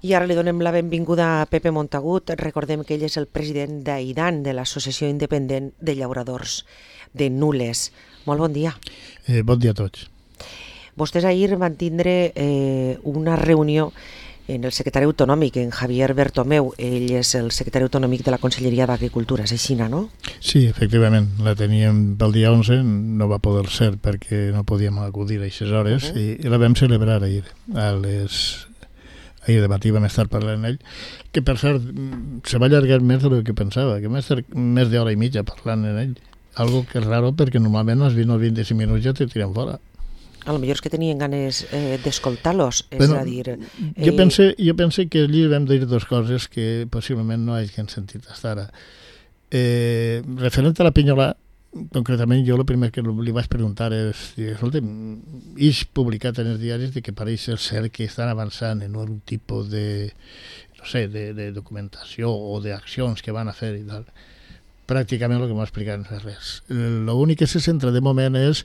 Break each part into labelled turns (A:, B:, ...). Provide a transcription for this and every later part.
A: I ara li donem la benvinguda a Pepe Montagut. Recordem que ell és el president d'AIDAN, de l'Associació Independent de Llauradors de Nules. Molt bon dia.
B: Bon dia a tots.
A: Vostès ahir van tindre una reunió en el secretari autonòmic, en Javier Bertomeu. Ell és el secretari autonòmic de la Conselleria d'Agricultura, és així, no?
B: Sí, efectivament, la teníem pel dia 11, no va poder ser perquè no podíem acudir a aquestes hores i la vam celebrar ahir. Ahir de matí vam estar parlant amb ell, que per cert se va allargar més del que pensava, que vam estar més d'hora i mitja parlant amb ell. Algo que és raro perquè normalment als 20 o 25 minuts ja te tiren fora.
A: A lo millor és que tenien ganes d'escoltar-los, és a dir...
B: Jo pense que allí vam dir dues coses que possiblement no hagin sentit fins ara. Referent a la Pinyolà, concretament jo el primer que li vaig preguntar és, escolta, és publicat en els diaris de que pareix ser que estan avançant en un tipus de, no sé, de documentació o d'accions que van a fer i tal. Pràcticament el que m'ha explicat no és res. L'únic que se centra de moment és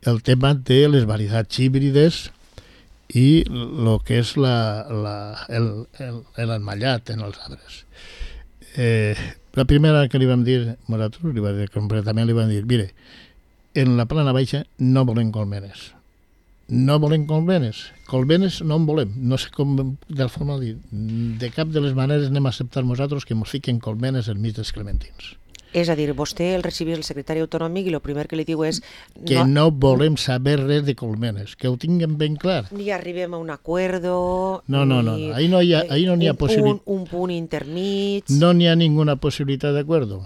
B: el tema de les varietats híbrides i el que és l'emmallat en els arbres. La primera que li vam dir, nosaltres completament li vam dir, mire, en la plana baixa no volem colmenes. No volem colmenes. Colmenes no en volem. No sé com de forma de dir. De cap de les maneres anem a acceptar nosaltres que ens fiquen colmenes enmig dels clementins.
A: És a dir, vostè el recibís el secretari autonòmic i el primer que li diu és...
B: Que no volem saber res de colmenes, que ho tinguem ben clar.
A: Ni arribem a un acuerdo...
B: No. Ahí no hi ha possibilitat.
A: Un punt intermig...
B: No n'hi ha ninguna possibilitat d'acuerdo.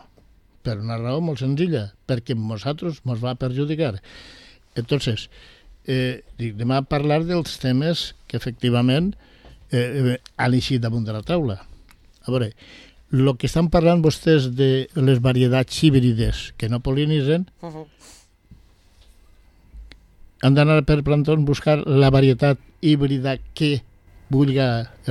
B: Per una raó molt senzilla, perquè nosaltres ens va perjudicar. Entonces, anem a parlar dels temes que efectivament han eixit damunt de la taula. A veure... El que estan parlant vostès de les varietats híbrides que no pol·linitzen, han d'anar per plantons buscar la varietat híbrida que vulgui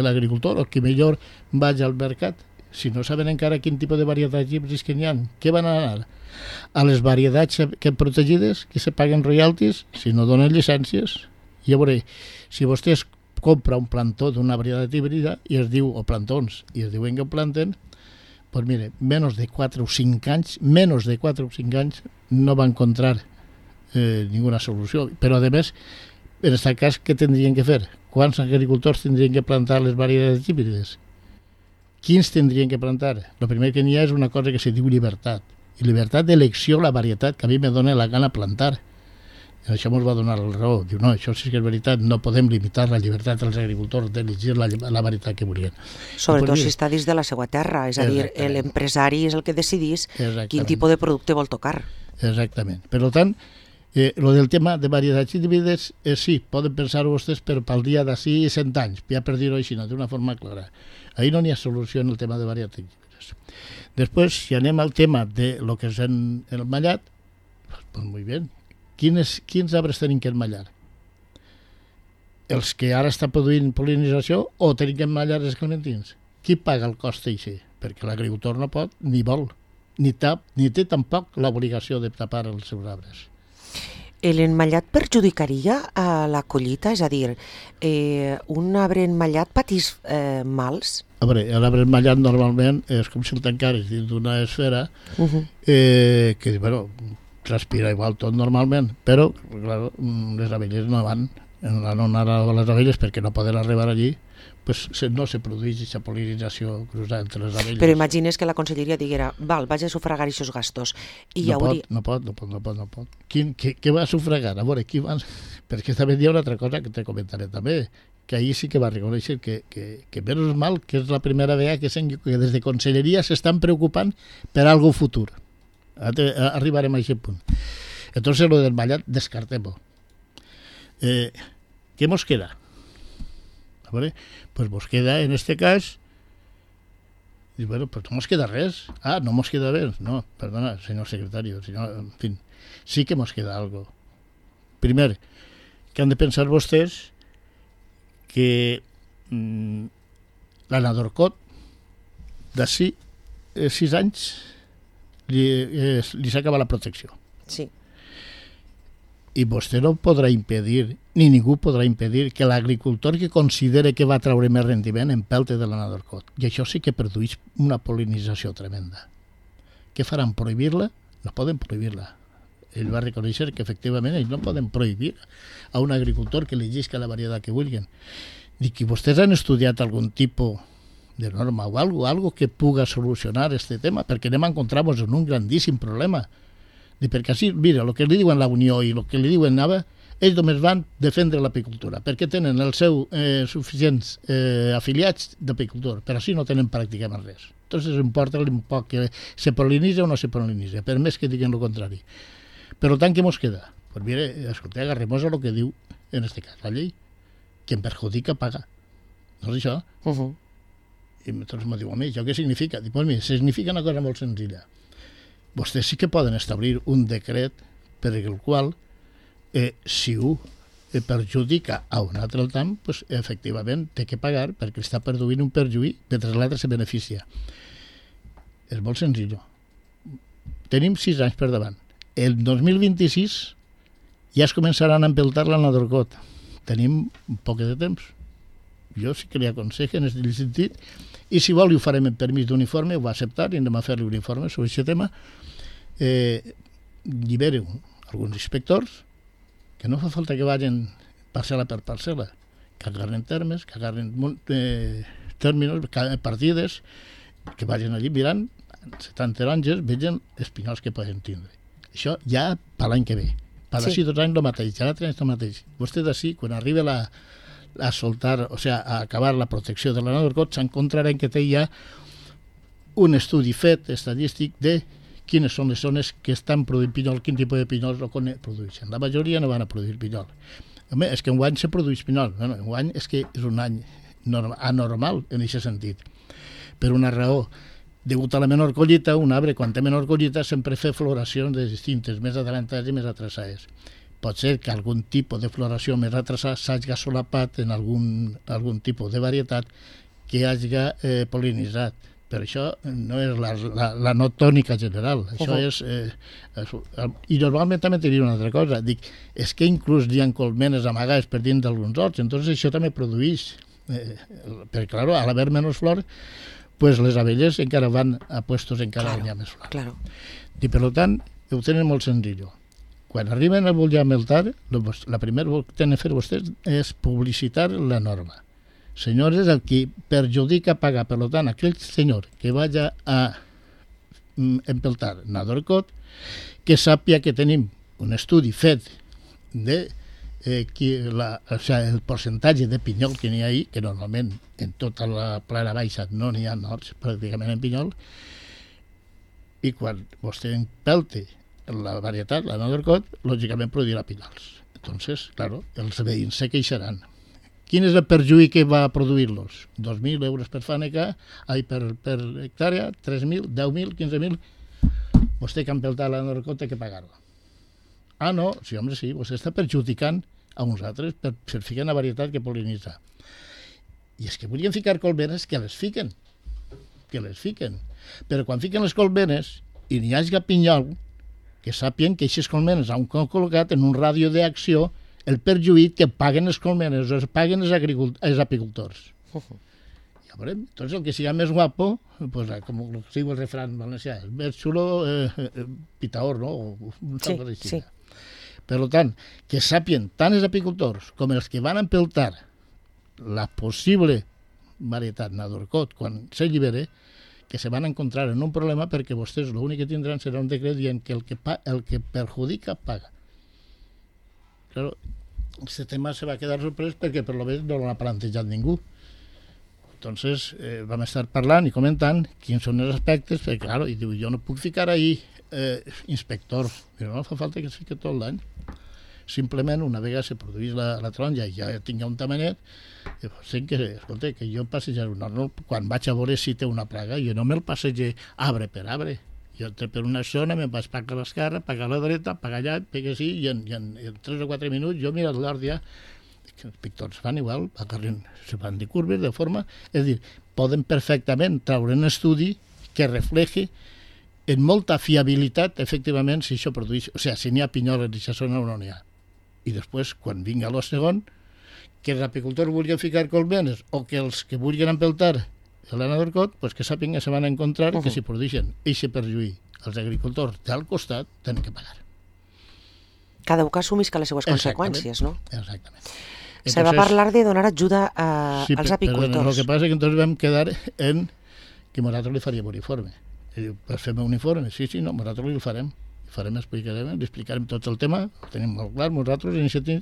B: l'agricultor o que millor vagi al mercat. Si no saben encara quin tipus de varietats híbrides que n'hi ha, què van anar? A les varietats que protegides, que se paguen royalties, si no donen llicències. I a veure, si vostès compra un plantó d'una varietat híbrida i es diu, o plantons, i es diuen que ho planten, pues mire, menos de 4 o 5 anys no va encontrar ninguna solució. Però, a més, en aquest cas, què tindrien que fer? Quants agricultors tindrien que plantar les varietats híbrides? Quins tindrien que plantar? El primer que n'hi ha és una cosa que se diu llibertat. I llibertat d'elecció la varietat que a mi me dona la gana plantar. I això ens va donar la raó. Diu, no, això sí que és veritat, no podem limitar la llibertat dels agricultors d'elegir la varietat que volien.
A: Sobretot si està dins de la seva terra, és a dir, l'empresari és el que decidís quin tipus de producte vol tocar.
B: Exactament. Per tant, lo del tema de varietats híbrides, sí, poden pensar vostès pel dia d'ací 100 anys, ja per dir-ho així, d'una forma clara. Ahí no n'hi ha solució en el tema de varietats híbrides. Després, si anem al tema de lo que és el mallat, pues muy bien. Quins arbres tenim que emmallar? Els que ara està produint pol·linització o tenim que emmallar els clementins? Qui paga el cost d'això? Perquè l'agricultor no pot, ni vol, ni té tampoc l'obligació de tapar els seus arbres.
A: L'emmallat perjudicaria a la collita? És a dir, un arbre emmallat patís mals?
B: A veure, l'arbre emmallat normalment és com si el tancares dins d'una esfera que, bueno, transpira igual tot normalment, però clar, les abelles no van anar a les abelles perquè no poden arribar allí, pues no se produeix aquesta pol·linització cruzada entre les abelles.
A: Però imagines que la conselleria diguera, val, vaig a sufragar aquests gastos. I
B: no pot. Què va sufragar? A veure, qui va... Perquè també hi ha una altra cosa que te comentaré també, que ahir sí que va reconèixer que menys mal que és la primera vegada que des de conselleria s'estan preocupant per algo futur. Arribarem a aquest punt. Entonces lo del mallat descartem-ho. ¿Qué nos queda? ¿Vale? Pues nos queda en este cas y bueno, pues no nos queda res. No nos queda res. No, perdona, señor secretario, en fin, sí que nos queda algo. Primer, que han de pensar vostès que la Nadorcot d'ací 6 anys, li s'acaba la protecció. Sí. I vostè no podrà impedir, ni ningú podrà impedir, que l'agricultor que considere que va treure més rendiment empelte de la Nadarcot. I això sí que produeix una pol·linització tremenda. Què faran? Prohibir-la? No poden prohibir-la. Ell va reconèixer que efectivament ells no poden prohibir a un agricultor que elegeixi la varietat que vulguin. Dic que vostès han estudiat algun tipus de norma o algo que puga solucionar este tema, perquè anem a encontrar-nos en un grandíssim problema. Perquè així, mira, el que li diuen la Unió i el que li diuen Nava, ells només van defendre l'apicultura, perquè tenen els seus suficients afiliats d'apicultor, però així no tenen pràcticament res. Entonces importa un poc que se pol·linitza o no se pol·linitza, per més que diguen el contrari. Per tant, què mos queda? Pues mire, escolta, agarrem-nos a lo que diu, en este cas, la llei. Quien perjudica paga. No és això? I entonces me diu, home, això què significa? Dic, pues mira, significa una cosa molt senzilla. Vostès sí que poden establir un decret per el qual, si un perjudica a un altre tant, pues, efectivament té que pagar perquè està produint un perjuí mentre l'altre se beneficia. És molt senzill. Tenim 6 anys per davant. El 2026 ja es començaran a empeltar la Nadarcot. Tenim un poc de temps. Jo sí que li aconsejo en aquest sentit, i si vol ho farem en permís d'uniforme, ho va acceptar i anem a fer-li un informe sobre aquest tema. Llibereu alguns inspectors que no fa falta que vagin parcel·la per parcel·la, que agarren termes, que agarren términos, partides, que vagin allí mirant 70 taronges, vegin els pinyols que poden tindre. Això ja per l'any que ve. Per d'ací 2 anys el mateix, ja l'altre any el mateix. Vostè d'ací, quan arriba a soltar, o sea, a acabar la protecció de la Nadarcot, s'encontraran que té ja un estudi fet estadístic de quines són les zones que estan produint pinyol, quin tipus de pinyols no produeixen. La majoria no van a produir pinyol. Home, és que enguany se produeix pinyol. Bueno, enguany és que és un any anormal en aquest sentit. Per una raó, degut a la menor collita, un arbre, quan té menor collita, sempre fa floracions de distintes, més adelantades i més atrasades. Pot ser que algun tipus de floració més atrasada s'hagi solapat en algun tipus de varietat que hagi pol·linitzat. Però això no és la no tònica general. Això és... I normalment també diria una altra cosa. Dic, és que inclús hi ha colmenes amagades per dins d'alguns horts, entonces això també produeix. Perquè, clar, a l'haver menys flor, pues les abelles encara van a puestos encara on hi ha més flor.
A: Claro.
B: I per tant, ho tenen molt senzill. Quan arriben a voler meltar, la primera que tenen que fer vostès és publicitar la norma. Senyores, el que perjudica paga. Per tant, aquell senyor que vagi a empeltar Nadarcot, que sàpia que tenim un estudi fet de el percentatge de pinyol que n'hi ha ahí, que normalment en tota la plana baixa no n'hi ha horts pràcticament en pinyol, i quan vostè empelte la varietat, la Nadarcot, lògicament produirà pinyols. Entonces, claro, els veïns se queixaran. Quin és el perjuí que va produir-los? 2.000 euros per fàneca, per hectàrea, 3.000, 10.000, 15.000. Vostè que ha empeltat la Nadarcot té que pagar-ho. Ah, no, sí, home, sí, vostè està perjudicant a uns altres per ficar una varietat que pol·linitza. I és que volien ficar colmenes que les fiquen. Però quan fiquen les colmenes i n'hi hagi pinyol, que sàpien que aquestes colmenes han col·locat en un ràdio d'acció el perjuït que paguen les colmenes o es paguen els apicultors. Ja veurem. Entonces, el que sigui més guapo, pues, com es diu el refrán valencià, més xulo, pitaor, no?
A: Sí.
B: Per tant, que sàpien tant els apicultors com els que van empeltar la possible varietat Nadarcot quan s'allibere, que se van encontrar en un problema perquè vostès l'únic que tindran serà un decret dient que el que perjudica paga. Claro, este tema se va quedar sorprès perquè per lo menos no l'ha plantejat ningú. Entonces vam estar parlant i comentant quins són els aspectes, perquè claro, i diu, jo no puc ficar ahí inspector, però no fa falta que es fiqui tot l'any. Simplement una vegada se produís la taronja i ja tinga un tamanet, sé que, escolta, que jo passejar quan vaig a veure si té una plaga, jo no me'l passege arbre per arbre. Jo entro per una zona, me'n vaig pagar a l'esquerra, pagar a la dreta, pagar allà, pegue així, i en 3 o 4 minuts jo miro l'hort ja, que els pictors fan igual, se van de curves, de forma, és a dir, poden perfectament treure un estudi que refleje en molta fiabilitat, efectivament, si això produeix, o sigui, si n'hi ha pinyol en aquesta zona o no n'hi ha. i després, quan vinga el segon, que els apicultors vulguin ficar colmenes o que els que vulguin empeltar l'ana d'Orcot, pues que sàpiguen que se van a encontrar que si produeixen eixe perjuí als agricultors del costat, tenen que pagar.
A: Cada un que assumisca les seues conseqüències, no?
B: Exactament.
A: Se va parlar de donar ajuda als apicultors.
B: Però el que passa és que entonces vam quedar en que nosaltres li faríem un informe. I diu, pues fem un informe. Sí, no, nosaltres li farem. Li explicarem tot el tema, el tenim molt clar, nosaltres iniciatim,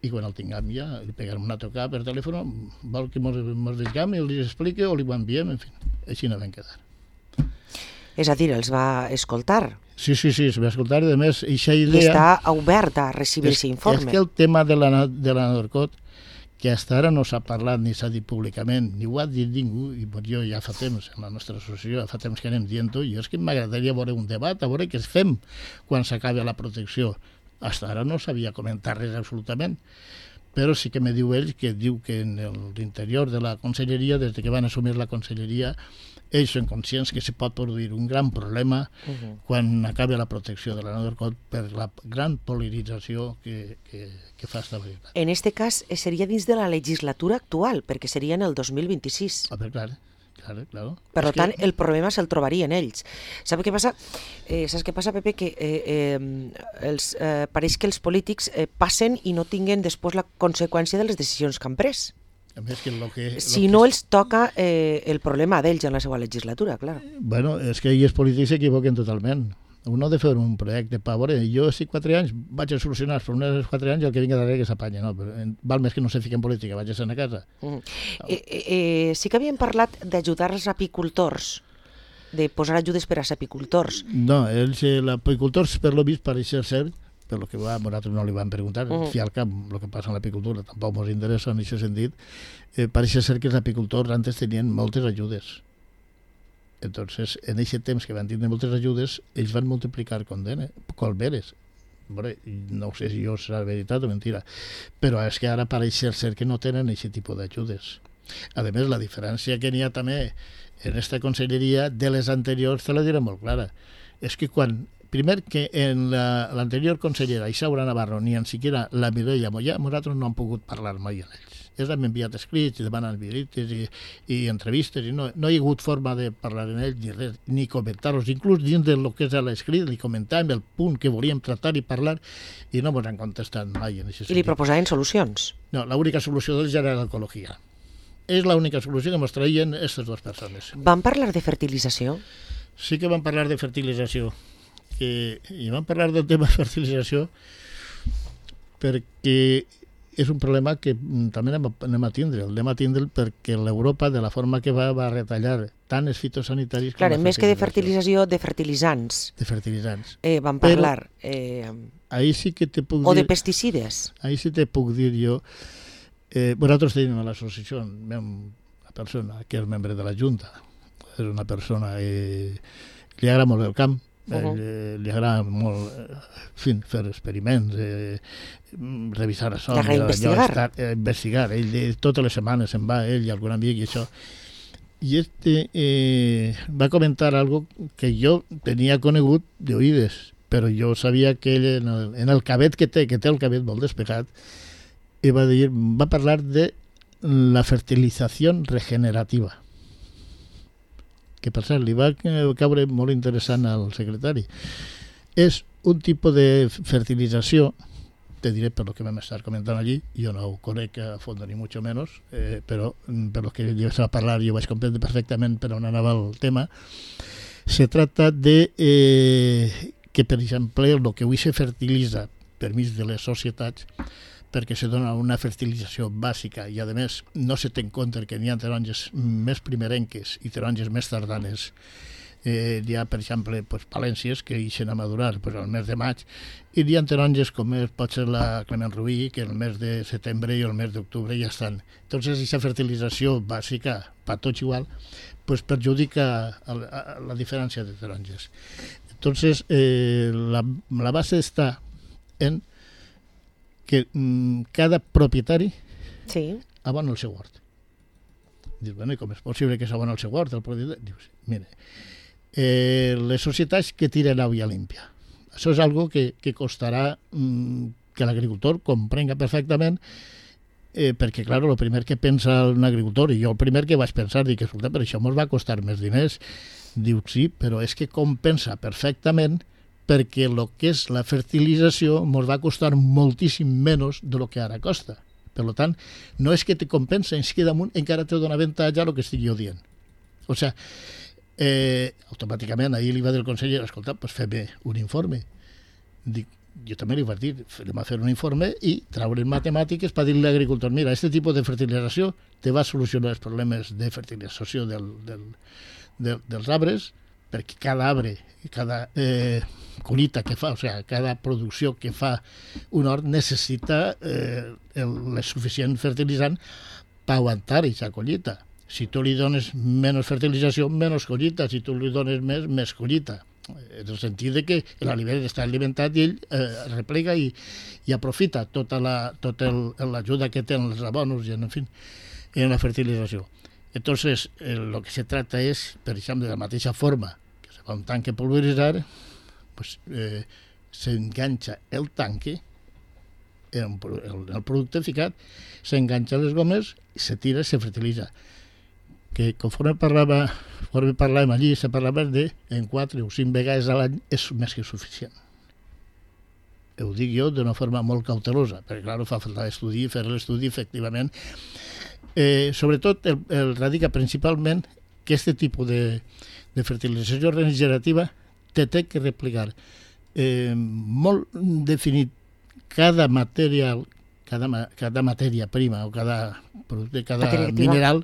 B: i quan el tinguem ja, li pegarem una tocada per telèfon, vol que mos digam i li expliqui o li ho enviem, en fi, així no vam quedar.
A: És a dir, els va escoltar.
B: Sí, es va escoltar, i a més, eixa idea...
A: I està obert a recibir aquest informe.
B: És que el tema de la Norcot, que fins ara no s'ha parlat ni s'ha dit públicament, ni ho ha dit ningú, i jo ja fa temps, en la nostra associació, ja fa temps que anem dient-ho, i és que m'agradaria veure un debat, a veure què fem quan s'acabi la protecció. Fins ara no s'havia comentat res absolutament, però sí que me diu ell que diu que en l'interior de la conselleria, des que van assumir la conselleria, ells són conscients que se pot produir un gran problema quan acabi la protecció de la Norcot per la gran pol·linització que fa esta varietat.
A: En aquest cas seria dins de la legislatura actual, perquè seria en el 2026.
B: Claro.
A: Per tant, el problema se'l trobarien ells. Saps què passa? Saps què passa, Pepe? Que pareix que els polítics passen i no tinguen després la conseqüència de les decisions que han pres. Si no els toca el problema d'ells en la seva legislatura, clar.
B: Bueno, és que els polítics s'equivoquen totalment. Un ha de fer un projecte per veure, jo si 4 anys vaig a solucionar els problemes dels 4 anys i el que vinga darrere que s'apanya, no? Però val més que no se fiqui en política, vaig a ser a casa.
A: Sí que havíem parlat d'ajudar els apicultors, de posar ajudes per als apicultors.
B: No, els apicultors, per lo vist, pareix ser, per lo que nosaltres no li vam preguntar, fi al cap, el que passa en l'apicultura tampoc ens interessa en aquest sentit, pareix ser que els apicultors antes tenien moltes ajudes. Entonces, en aquest temps que van tindre moltes ajudes, ells van multiplicar colmenes. No sé si això serà veritat o mentira, però és que ara pareix ser que no tenen aquest tipus d'ajudes. A més, la diferència que n'hi ha també en aquesta conselleria de les anteriors, te la diré molt clara, és que primer que en l'anterior consellera, Isaura Navarro, ni en siquiera la Mireia Mollà, nosaltres no hem pogut parlar mai amb ells. Ells han enviat escrits, demanen visites i entrevistes, i no hi ha hagut forma de parlar amb ells ni res, ni comentar-los, inclús dins del que és l'escrit, ni comentàvem el punt que volíem tractar i parlar, i no ens han contestat mai en aquest sentit.
A: I li proposaven solucions?
B: No, l'única solució d'ells era l'ecologia. És l'única solució que ens traien aquestes dues persones.
A: Van parlar de fertilització?
B: Sí que van parlar de fertilització. I vam parlar del tema de fertilització perquè és un problema que també anem a tindre. El anem a tindre perquè l'Europa, de la forma que va retallar tant els fitosanitaris...
A: Clar, més que de fertilització, de fertilitzants.
B: De fertilitzants.
A: Van parlar...
B: Ahí sí que te puc dir...
A: O de pesticides.
B: Ahí sí te puc dir jo... Nosaltres tenim a l'associació una persona que és membre de la Junta. És una persona que li agrada molt el camp, li agrada molt fer experiments, revisar a sol, investigar. Ell totes les setmanes se'n va, ell i algun amic i això. I va comentar algo que jo tenia conegut d'oïdes, però jo sabia que ell en el cabet que té el cabet molt despegat, va parlar de la fertilització regenerativa, que per cert li va caure molt interessant al secretari. És un tipus de fertilització, te diré per lo que vam estar comentant allí, jo no ho conec a fons ni mucho menos, però per lo que jo estava parlant jo vaig comprendre perfectament per on anava el tema. Se trata de que, per exemple, el que avui se fertilitza per mig de les societats, perquè se dona una fertilització bàsica i, a més, no se té en compte que n'hi ha taronges més primerenques i taronges més tardanes. Hi ha, per exemple, palències que ixen a madurar al mes de maig, i hi ha taronges com pot ser la Clement Rubí, que el mes de setembre i el mes d'octubre ja estan. Entonces, aquesta fertilització bàsica, per tots igual, perjudica la diferència de taronges. Entonces, la base està en que cada propietari abona el seu hort. Dius, bueno, i com és possible que s'abona el seu hort? Dius, mira, les societats que tiren aigua límpia. Això és algo que costarà que l'agricultor comprenga perfectament, perquè, clar, el primer que pensa un agricultor, i jo el primer que vaig pensar, dic, escolta, però això ens va costar més diners. Diu, sí, però és que compensa perfectament perquè el que és la fertilització ens va costar moltíssim menys de lo que ara costa. Per tant, no és que te compensa, és que damunt encara te dona avantatge el que estic jo dient. O sigui, automàticament ahir li va dir el conseller, escolta, pues fem un informe. Dic, jo també li vaig dir, anem a fer un informe i traure matemàtiques per dir a l'agricultor, mira, aquest tipus de fertilització te va solucionar els problemes de fertilització dels arbres, perquè cada arbre, cada collita que fa, o sigui, cada producció que fa un hort necessita el suficient fertilitzant per aguantar aquesta collita. Si tu li dones menys fertilització, menys collita. Si tu li dones més, més collita. En el sentit de que l'aliment està alimentat i ell replega i aprofita tota l'ajuda que tenen els abonos i, en fi, en la fertilització. Entonces, lo que se trata es, per exemple, de la mateixa forma que se fa un tanque pulveritzar, pues, s'enganxa el tanque, el producte ficat, s'enganxa les gomes, se tira i se fertilitza. Que conforme parlàvem allí, se parlava de en 4 o 5 vegades a l'any és més que suficient. Ho dic jo d'una forma molt cautelosa, perquè clar, fa falta estudi, fer l'estudi efectivament. Sobretot el radica principalment que aquest tipus de fertilització regenerativa té que replicar molt definit cada material, cada matèria prima o cada producte, cada mineral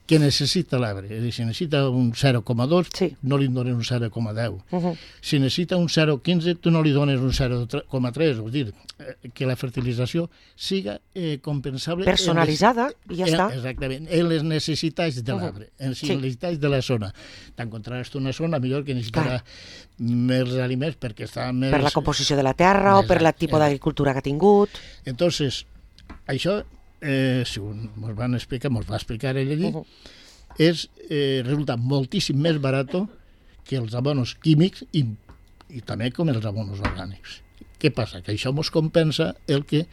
B: que necessita l'arbre. És a dir, si necessita un 0,2, sí, no li dones un 0,10. Si necessita un 0,15, tu no li dones un 0,3. És dir, que la fertilització siga compensable...
A: Personalitzada, i ja està.
B: Exactament, en les necessitats de l'arbre, en les necessitats de la zona. T'encontraràs una zona millor que necessitarà més aliments perquè està més...
A: Per la composició de la terra o per el tipus d'agricultura que ha tingut.
B: Entonces, això, si ens va explicar ell allí, resulta moltíssim més barat que els abonos químics i també com els abonos orgànics. Què passa? Que això ens compensa el que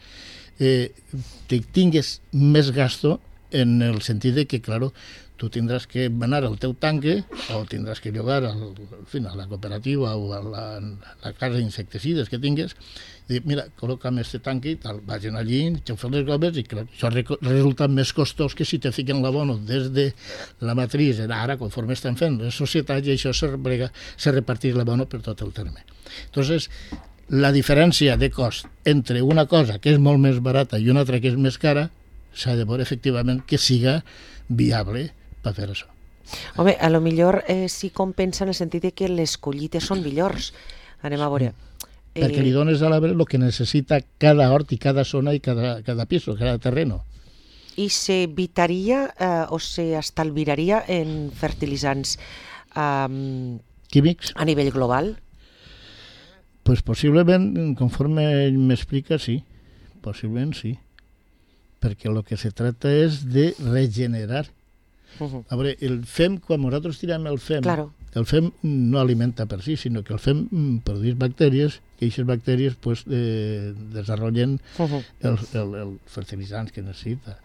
B: tingues més gasto en el sentit de que, claro, tu tindràs que anar al teu tanque o tindràs que llogar a la cooperativa o a la casa d'insecticides que tingues i dir, mira, col·loca'm este tanque i tal, vagin allí, xaufen les gomes i clar, això resulta més costós que si te fiquen l'abono des de la matriz, ara conforme estan fent les societats i això se reparteix l'abono per tot el terme. Entonces, la diferència de cost entre una cosa que és molt més barata i una altra que és més cara s'ha de veure efectivament que siga viable per fer això.
A: Home, a lo millor sí compensa en el sentit de que les collites són millors. Anem a veure.
B: Perquè li dones a l'arbre el que necessita cada hort i cada zona i cada piso, cada terreno.
A: I s'evitaria o s'estalviaria en fertilitzants
B: químics
A: a nivell global?
B: Pues possiblement, conforme ell m'explica, sí. Possiblement sí. Perquè el que se trata és de regenerar. A veure, el fem, quan nosaltres tirem el fem, el fem no alimenta per si, sinó que el fem produeix bactèries, que aquestes bactèries pues, desenvolupen el fertilitzants que necessita.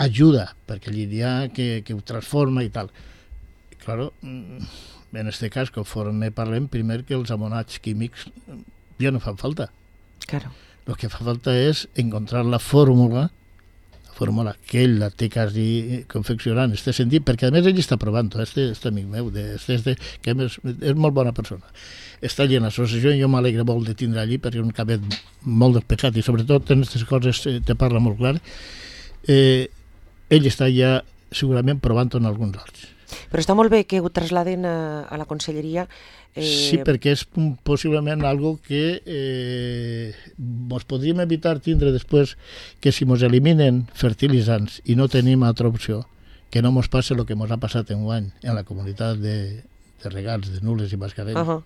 B: Ajuda, perquè allí hi ha que ho transforma i tal. Claro, en aquest cas, conforme parlem, primer que els amonats químics ja no fan falta.
A: Claro.
B: El que fa falta és encontrar la fórmula que ell la té quasi confeccionant en aquest sentit, perquè a més ell està provant, aquest amic meu, que és molt bona persona. Està allí en l'associació i jo m'alegre molt de tindre allí perquè és un cabet molt despecat i sobretot en aquestes coses te parla molt clar. Ell està ja segurament provant en alguns horts.
A: Però està molt bé que ho trasladen a la conselleria.
B: Sí, perquè és possiblement algo que ens podríem evitar tindre després que si ens eliminen fertilitzants i no tenim altra opció, que no ens passi el que ens ha passat enguany en la comunitat de regals de Nules i Mascarell. O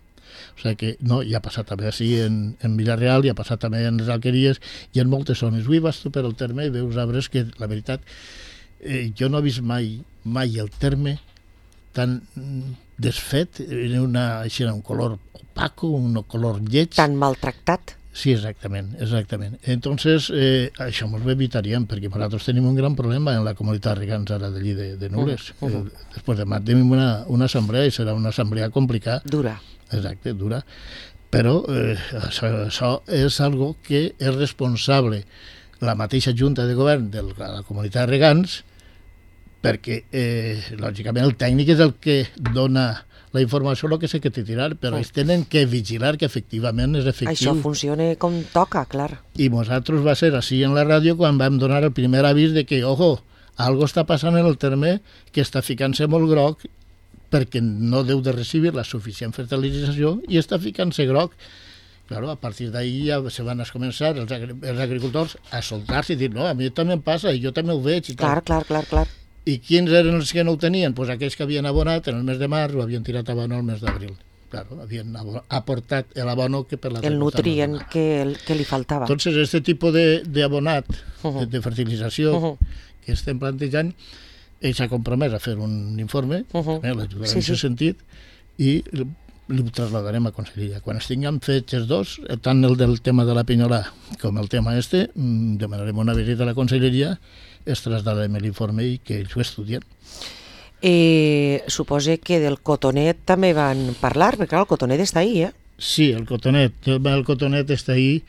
B: sigui que no, i ha passat també així en Villarreal, i ha passat també en les Alqueries i en moltes zones. Avui vas tu per el terme i veus arbres que, la veritat, jo no he vist mai el terme tan desfet, així un color opaco, un color lleig.
A: Tan maltractat.
B: Sí, exactament. Entonces, això ens ho evitaríem, perquè nosaltres tenim un gran problema en la comunitat regants ara d'allí de Nules. Després demà tenim una assemblea i serà una assemblea complicada.
A: Dura.
B: Exacte, dura. Però això és algo que és responsable la mateixa Junta de Govern de la comunitat regants, perquè, lògicament, el tècnic és el que dona la informació, el que s'ha de tirar, però ells tenen que vigilar que efectivament és efectiu.
A: Això funciona com toca, clar.
B: I nosaltres va ser així en la ràdio quan vam donar el primer avís de que, ojo, algo està passant en el terme que està ficant-se molt groc perquè no deu de recibir la suficient fertilització i està ficant-se groc. Claro, a partir d'ahí ja se van a començar els agricultors a soltar-se i dir, no, a mi també em passa i jo també ho veig. I
A: clar. I
B: quins eren els que no ho tenien? Pues aquells que havien abonat en el mes de març o havien tirat abono el mes d'abril. Claro, havien aportat l'abono que per la...
A: El nutrient que li faltava.
B: Entonces, este tipus d'abonat, de fertilització que estem plantejant, ell s'ha compromès a fer un informe, l'ajudarem en aquest sentit, i li trasladarem a Conselleria. Quan estiguem fets els dos, tant el del tema de la pinyolà com el tema demanarem una visita a la Conselleria, es traslladarem l'informe i que ells ho estudien.
A: Suposo que del cotonet també van parlar, perquè clar, el cotonet està ahí,
B: Sí, el cotonet està ahí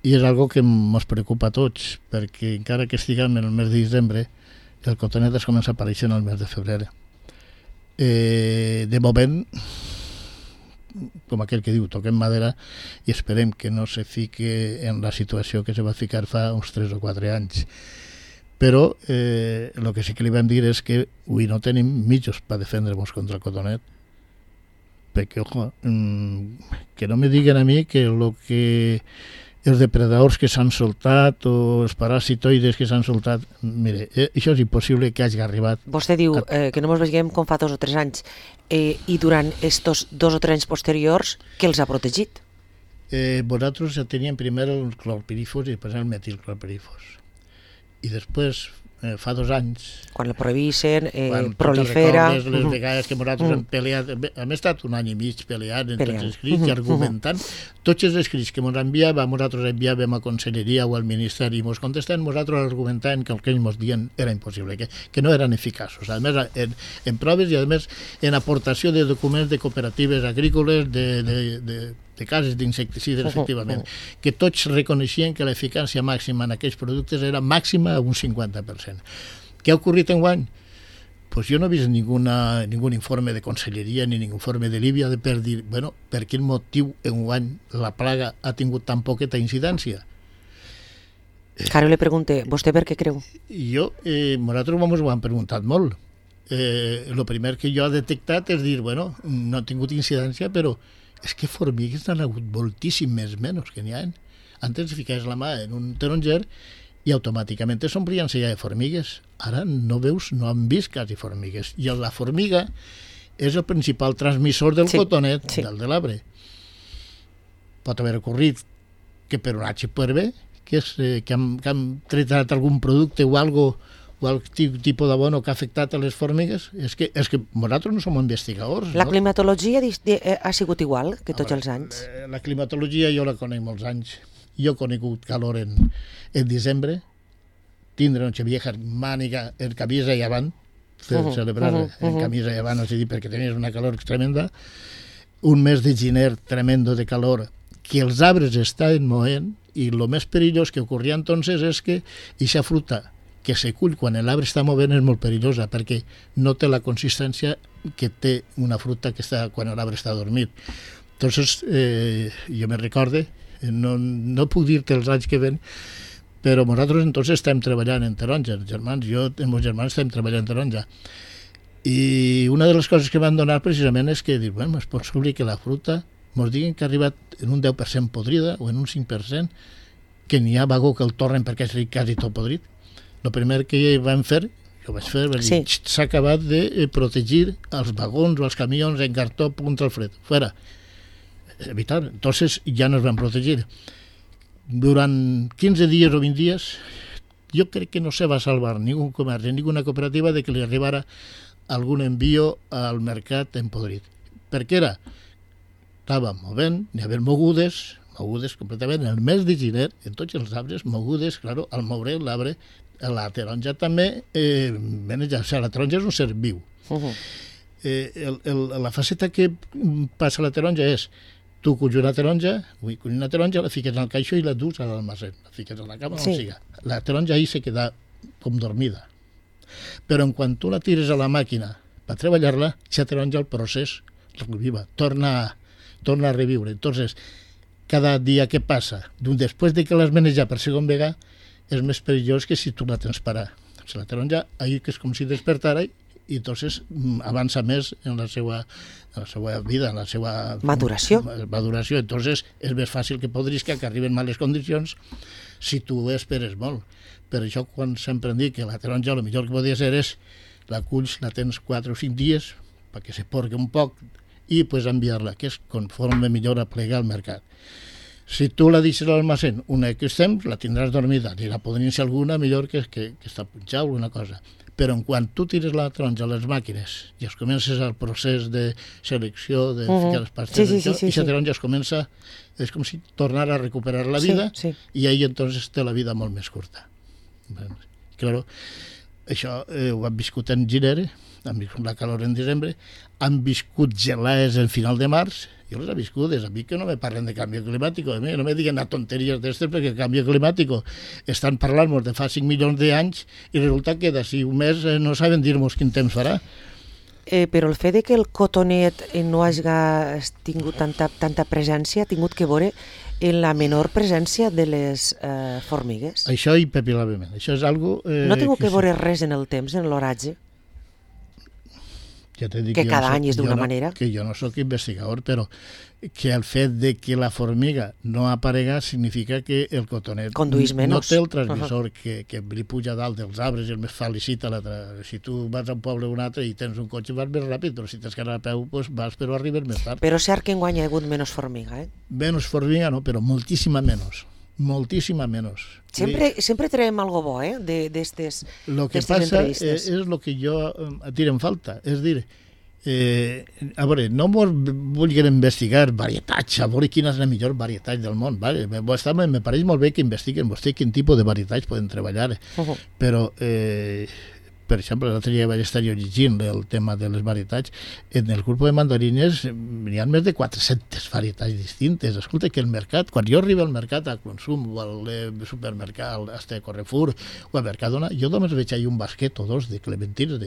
B: i és algo que ens preocupa a tots, perquè encara que estiguem en el mes de desembre, el cotonet es comença a aparèixer en el mes de febrer. De moment, com aquell que diu, toquem madera i esperem que no se fique en la situació que se va ficar fa uns 3 o 4 anys. Però el que sí que li vam dir és que avui no tenim mitjos per defendre-nos contra el cotonet, perquè, ojo, que no me diguen a mi que els depredadors que s'han soltat o els parasitoides que s'han soltat, mire, això és impossible que hagi arribat.
A: Vostè diu que no ens veiem com fa 2 o 3 anys, i durant estos 2 o 3 anys posteriors, què els ha protegit?
B: Nosaltres teníem primer el clorpirífos i després el metilclorpirífos. I després, fa 2 anys...
A: Quan el prohibeixen, prolifera...
B: Les vegades que nosaltres hem peleat... Hem estat 1 any i mig peleant en tots els escrits i argumentant. Tots els escrits que ens enviàvem, nosaltres enviàvem a Conselleria o al Ministeri i ens contestem, nosaltres argumentant que el que ells ens diuen era impossible, que no eren eficaços. A més, en proves i a més en aportació de documents de cooperatives agrícoles, de cases d'insecticides, efectivament, que tots reconeixien que l'eficàcia màxima en aquells productes era màxima a un 50%. Què ha ocorrit enguany? Pues jo no he vist ningún informe de Conselleria ni ningún informe de Líbia per dir, bueno, per quin motiu enguany la plaga ha tingut tan poqueta incidència.
A: Caro le pregunté, vostè per què creu?
B: Jo, nosaltres ho hem preguntat molt. El primer que jo he detectat és dir, bueno, no ha tingut incidència, però és que formigues n'han hagut moltíssimes menys que n'hi ha. Antes ficaves la mà en un taronger i automàticament s'omplien-se ja de formigues. Ara no han vist quasi formigues. I la formiga és el principal transmissor del cotonet, del de l'arbre. Pot haver ocorrit que per un HPV, que han tractat algun producte o algo o el tipus d'abono que ha afectat a les formigues, és que nosaltres no som investigadors.
A: La climatologia ha sigut igual que tots els anys?
B: La climatologia jo la conec molts anys. Jo he conegut calor en desembre, tindre noche vieja màniga en camisa i avant, celebrar en camisa i avant, és a dir, perquè tenies una calor tremenda, un mes de gener tremendo de calor, que els arbres estaven moent, i el més perillós que ocorria entonces és que aquesta fruta que se cull quan l'arbre està movent és molt perillosa perquè no té la consistència que té una fruta que està quan l'arbre està dormit. Entonces, jo me recorde, no puc dir-te els anys que ven, però nosaltres entonces estem treballant en taronja, els germans, jo i els meus germans estem treballant en taronja. I una de les coses que van donar precisament és que, bueno, és possible que la fruta ens diguen que ha arribat en un 10% podrida o en un 5%, que n'hi ha vagó que el torren perquè és quasi tot podrit. El primer que vam fer, jo vaig fer, s'ha acabat de protegir els vagons o els camions en cartó contra el fred. Fuera. Evitar. Entonces ja no es van protegir. Durant 15 dies o 20 dies, jo crec que no se va salvar ningú comerç, ninguna cooperativa de que li arribara algun envío al mercat en podrit. Per què era? Estava movent, n'hi havia mogudes, mogudes completament. En el mes de gener, en tots els arbres, mogudes, claro, al moure l'arbre, la taronja també maneja. O sigui, la taronja és un ser viu. La faceta que passa a la taronja és tu culls una taronja, la fiques en el caixó i la dus a l'almacén. La fiques a la cama, sí. On siga. La taronja ahí se queda com dormida. Però en quan tu la tires a la màquina per treballar-la, ja taronja el procés reviva, torna a reviure. Entonces, cada dia que passa, després de que l'has manejat per segon vegada, és més perillós que si tu la tens parar. O sigui, la taronja, ahí que és com si despertara i entonces avança més en la seva vida, en la seva
A: maduració.
B: Entonces és més fàcil que podrisca, que arriben males condicions si tu esperes molt. Per això quan sempre em dic que la taronja el millor que podia ser és la culls, la tens 4 o 5 dies perquè se porqui un poc i pues enviar-la, que és conforme millor a plegar al mercat. Si tu la deixes a l'almacén un X temps, la tindràs dormida, i la podrien ser alguna millor que està punxada o alguna cosa. Però en quan tu tires la taronja a les màquines i es comences el procés de selecció, de ficar les pastes, i la taronja es comença, és com si tornara a recuperar la vida, i ahí entonces té la vida molt més curta. Claro, això ho han viscut en gener, han viscut la calor en desembre, han viscut gelades en final de març. Jo les he viscudes, a mi que no me parlen de canvi climàtic, a mi no me diguen tonteries d'estes perquè el canvi climàtic estan parlant-nos de fa 5 milions d'anys i resulta que d'ací un mes no saben dir-nos quin temps farà.
A: Però el fet de que el cotonet no hagi tingut tanta presència ha tingut que veure en la menor presència de les formigues.
B: Això impepinablement. Això és algo...
A: No ha tingut que veure res en el temps, en l'oratge?
B: Ja
A: que cada any és d'una manera.
B: Que jo no sóc investigador, però que el fet de que la formiga no aparega significa que el cotonet no té el transmissor que li puja dalt dels arbres i el més felicita l'altre. Si tu vas a un poble o un altre i tens un cotxe vas més ràpid, però si tens que anar a peu doncs vas, però arribes més tard.
A: Però cert que enguany hi ha hagut menys formiga, eh?
B: Menys formiga no, però moltíssima menys. Moltíssima menys.
A: Sempre traiem algo bo, d'estes entrevistes.
B: Lo que passa és lo que jo tiro en falta, és dir, a veure, no vulguin investigar varietats, a veure quina és la millor varietat del món, vale? Me pareix molt bé que investiguen vostè quin tipus de varietats poden treballar, però per exemple, l'altre dia vaig estar jo llegint el tema de les varietats. En el grup de mandarines hi ha més de 400 varietats distintes. Escolta, que el mercat, quan jo arribo al mercat a consum o al supermercat, a Carrefour o a Mercadona, jo només veig ahí un basquet o dos de clementines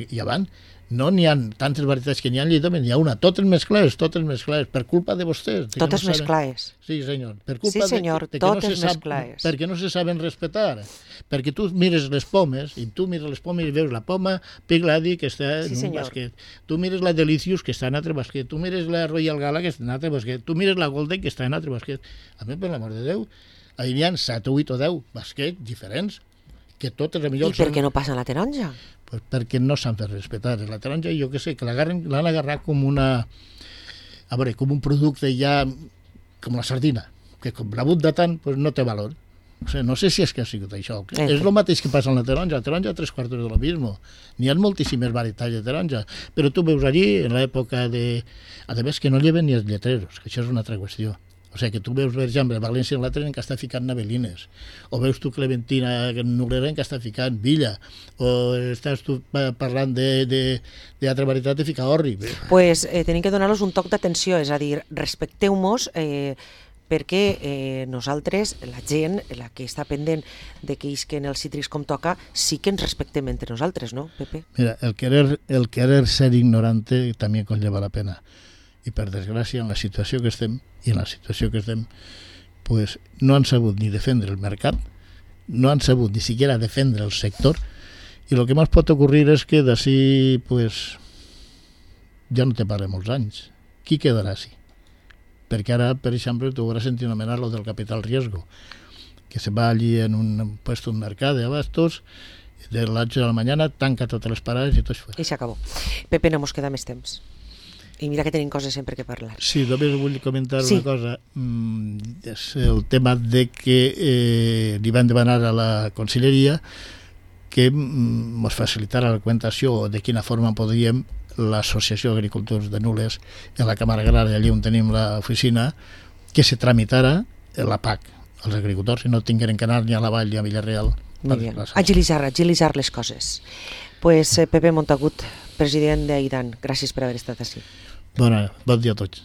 B: i avant. No n'hi ha tantes varietats que n'hi ha, hi ha una, totes més clares, per culpa de vostès.
A: Totes més clares.
B: Sí, senyor.
A: Sí, senyor, totes més clares.
B: Perquè no se saben respetar. Perquè tu mires les pomes, i veus la poma Pegglady, que està en un basquet. Tu mires la Delicious, que està en altre basquet. Tu mires la Royal Gala, que està en altre basquet. Tu mires la Golden, que està en altre basquet. A mi, per l'amor de Déu, hi ha 7, 8 o 10 basquets diferents, que totes a millor...
A: I per què no passa la taronja?
B: Pues perquè no s'han fet respetar. La taronja, jo què sé, que l'han agarrat com una... A veure, com un producte ja... com la sardina, que com l'ha de tant, pues no té valor. O sigui, no sé si és que ha sigut això. És el mateix que passa amb la taronja. La taronja 3/4 de lo mismo. N'hi ha moltíssimes varietats de taronja. Però tu veus allí, en l'època de... A més, que no lleven ni els lletreros, que això és una altra qüestió. O sigui, que tu veus, per exemple, València en l'altre en què està ficant navelines, o veus tu Clementina Nuglera en què està ficant Villa, o estàs tu parlant d'altra varietat de ficar orri.
A: Pues tenim que donar-los un toc d'atenció, és a dir, respecteu-nos perquè nosaltres, la gent, la que està pendent de que isquen els cítrics com toca, sí que ens respectem entre nosaltres, no, Pepe?
B: Mira, el querer ser ignorante també conlleva la pena. I per desgràcia, en la situació que estem, pues, no han sabut ni defendre el mercat, no han sabut ni siquiera defendre el sector, i el que més pot ocorrir és que d'ací, pues, ja no te parla molts anys. Qui quedarà així? Perquè ara, per exemple, tu hauràs sentit anomenar lo del capital riesgo, que se va allí en un puesto, un mercat d'abastos, de las 8 de la mañana, tanca totes les parades i tot això.
A: I s'acabó. Pepe, no mos queda més temps. I mira que tenim coses sempre que parlar.
B: Sí, només vull comentar una cosa. És el tema de que li van demanar a la Conselleria que ens facilitara la documentació de quina forma podríem l'Associació d'Agricultors de Nules en la Càmera Agrària, allà on tenim l'oficina, que se tramitara la PAC. Els agricultors no tingueren que anar ni a la Vall ni a Villarreal.
A: Muy bien. Agilitzar les coses. Pues Pepe Montagut, president d'Aidan, gràcies per haver estat així.
B: Bon dia a tots.